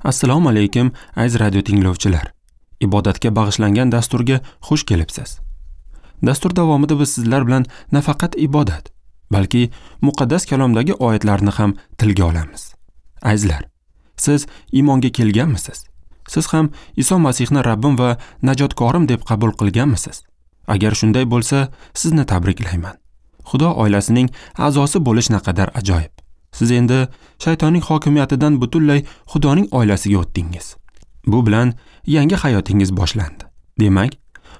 Assalomu alaykum, aziz radio tinglovchilar. Ibodatga bag'ishlangan dasturga xush kelibsiz. Dastur davomida biz sizlar bilan nafaqat ibodat, balki muqaddas kalomdagi oyatlarni ham tilga olamiz. Azizlar, siz iymonga kelganmisiz? Siz ham Iso Masihni Rabbim va najotkorim deb qabul qilganmisiz? Agar shunday bo'lsa, sizni tabriklayman. Xudo oilasining a'zosi bo'lish naqadar ajoyib. Siz endi shaytonning hokimiyatidan butunlay Xudoning oilasiga o'tdingiz. Bu bilan yangi hayotingiz boshlandi. Demak,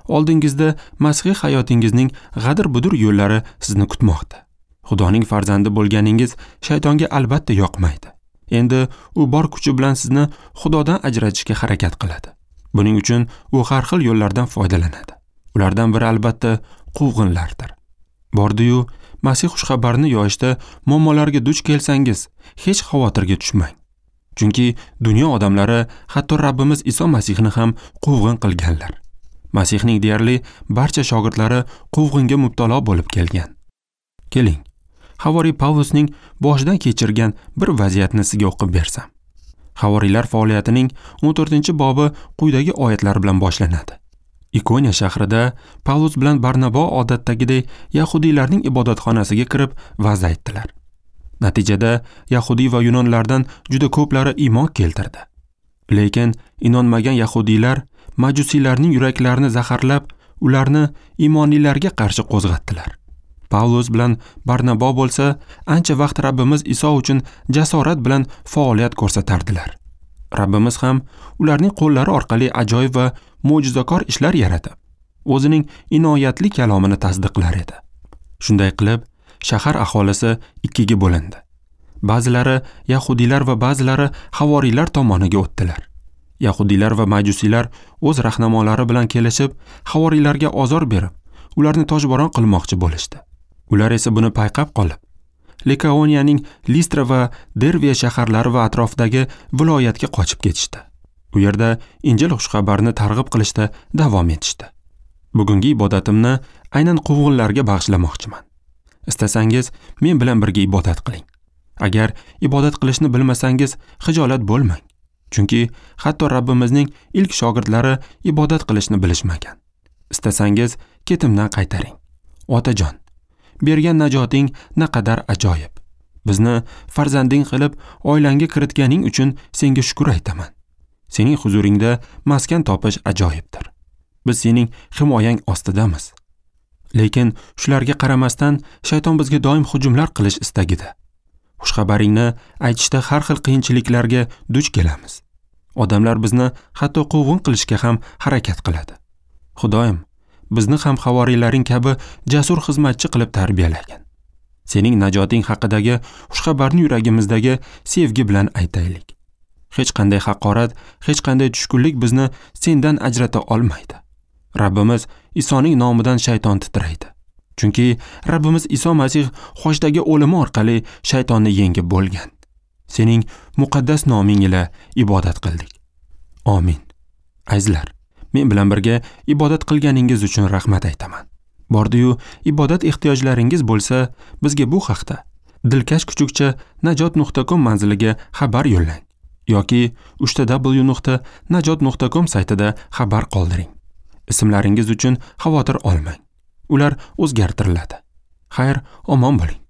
oldingizda masihiy hayotingizning g'adir-budur yo'llari sizni kutmoqda. Xudoning farzandi bo'lganingiz shaytonga albatta yoqmaydi. Endi u bor kuchi bilan sizni Xudodan ajratishga harakat qiladi. Buning uchun u har xil yo'llardan foydalanadi. Ulardan biri albatta quvg'inlardir. Bordi-yu, Masih xushxabarini yoyishda muammolarga duch kelsangiz, hech xavotirga tushmang. Chunki dunyo odamlari hatto Rabbimiz Iso Masihni ham quvg'in qilganlar. Masihning deyarli barcha shogirdlari quvg'inga mubtalo bo'lib kelgan. Keling, Havoriy Pavlusning boshidan kechirgan bir vaziyatni sizga o'qib bersam. Havoriylar faoliyatining 14-bobi quyidagi oyatlar bilan boshlanadi. Ikoniya shahrida Pavlus bilan Barnabo odatdagidek yahudiylarning ibodatxonasiga kirib va'z aytdilar. Natijada yahudiy va yunonlardan juda ko'plari iymon keltirdi. Lekin inonmagan yahudiylar majusiylarning yuraklarini zaharlab, ularni iymonlilarga qarshi qo'zg'atdilar. Pavlus bilan Barnabo bo'lsa, ancha vaqt Rabbimiz Iso uchun jasorat bilan faoliyat ko'rsatardilar. Rabbimiz ham ularning qo'llari orqali ajoyib va mo'jizakor ishlar yaratib, o'zining inoyatli kalomini tasdiqlar edi. Shunday qilib, shahar aholisi ikkiga bo'lindi. Ba'zilari yahudiylar va ba'zilari havoriylar tomoniga o'tdilar. Yahudiylar va majusiylar o'z rahnamolari bilan kelishib, havoriylarga ozor berib, ularni toshbo'ron qilmoqchi bo'lishdi. Ular esa buni payqab qolib, Likaoniyaning Listra va Derviya shaharlari va atrofidagi viloyatga qochib ketishdi. U yerda Injil xushxabarini targ'ib qilishda davom etishdi. Bugungi ibodatimni aynan quvg'inlarga bag'ishlamoqchiman. Istasangiz, men bilan birga ibodat qiling. Agar ibodat qilishni bilmasangiz, xijolat bo'lmang. Chunki hatto Rabbimizning ilk shogirdlari ibodat qilishni bilishmagan. Istasangiz, ketimdan qaytaring. Otajon, bergan najoting naqadar ajoyib. Bizni farzanding qilib oilangga kiritganing uchun senga shukr aytaman. Sening huzuringda maskan topish ajoyibdir. Biz sening himoyang ostidamiz. Lekin shularga qaramasdan shayton bizga doim hujumlar qilish istagida. Xushxabaringni aytishda har xil qiyinchiliklarga duch kelamiz. Odamlar bizni hatto quvg'in qilishga ham harakat qiladi. Xudoyim, bizni ham havoriylaring kabi jasur xizmatchi qilib tarbiyalagin. Sening najoting haqidagi xushxabarni yuragimizdagi sevgi bilan aytaylik. Hech qanday haqorat, hech qanday tushkunlik bizni sendan ajrata olmaydi. Rabbimiz Isoning nomidan shayton titraydi. Chunki Rabbimiz Iso Masih xochdagi o'limi orqali shaytonni yengib bo'lgan. Sening muqaddas noming ila ibodat qildik. Amin. Azizlar, men bilan birga ibodat qilganingiz uchun rahmat aytaman. Bordi-yu, ibodat ehtiyojlaringiz bo'lsa, bizga bu haqda dilkash@najot.com manziliga xabar yo'llang yoki www.najot.com saytida xabar qoldiring. Ismlaringiz uchun xavotir olmang. Ular o'zgartiriladi. Xayr, omon bo'ling.